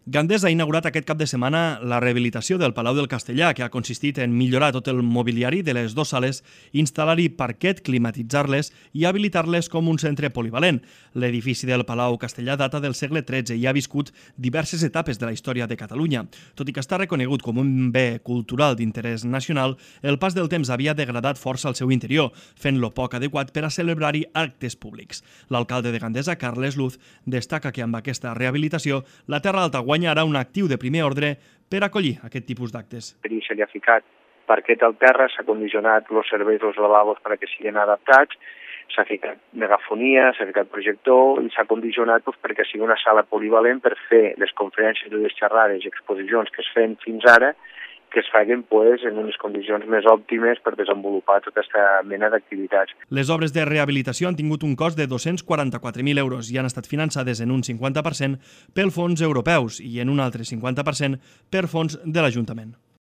Gandesa ha inaugurat aquest cap de setmana la rehabilitació del Palau del Castellà, que ha consistit en millorar tot el mobiliari de les dues sales, instal·lar-hi parquet, climatitzar-les i habilitar-les com un centre polivalent. L'edifici del Palau Castellà data del segle XIII i ha viscut diverses etapes de la història de Catalunya. Tot i que està reconegut com un bé cultural d'interès nacional, el pas del temps havia degradat força el seu interior, fent-lo poc adequat per a celebrar-hi actes públics. L'alcalde de Gandesa, Carles Luz, destaca que amb aquesta rehabilitació la Terra Alta guanyarà un actiu de primer ordre per acollir aquest tipus d'actes. Per això se li ha ficat parquet al terra, s'ha condicionat els serveis dels lavabos perquè siguin adaptats, s'ha ficat megafonia, s'ha ficat projector i s'ha condicionat perquè sigui una sala polivalent per fer les conferències i les xerrades i exposicions que es feien fins ara, que es facin en unes condicions més òptimes per desenvolupar tota aquesta mena d'activitats. Les obres de rehabilitació han tingut un cost de 244.000 euros i han estat finançades en un 50% pel fons europeus i en un altre 50% per fons de l'Ajuntament.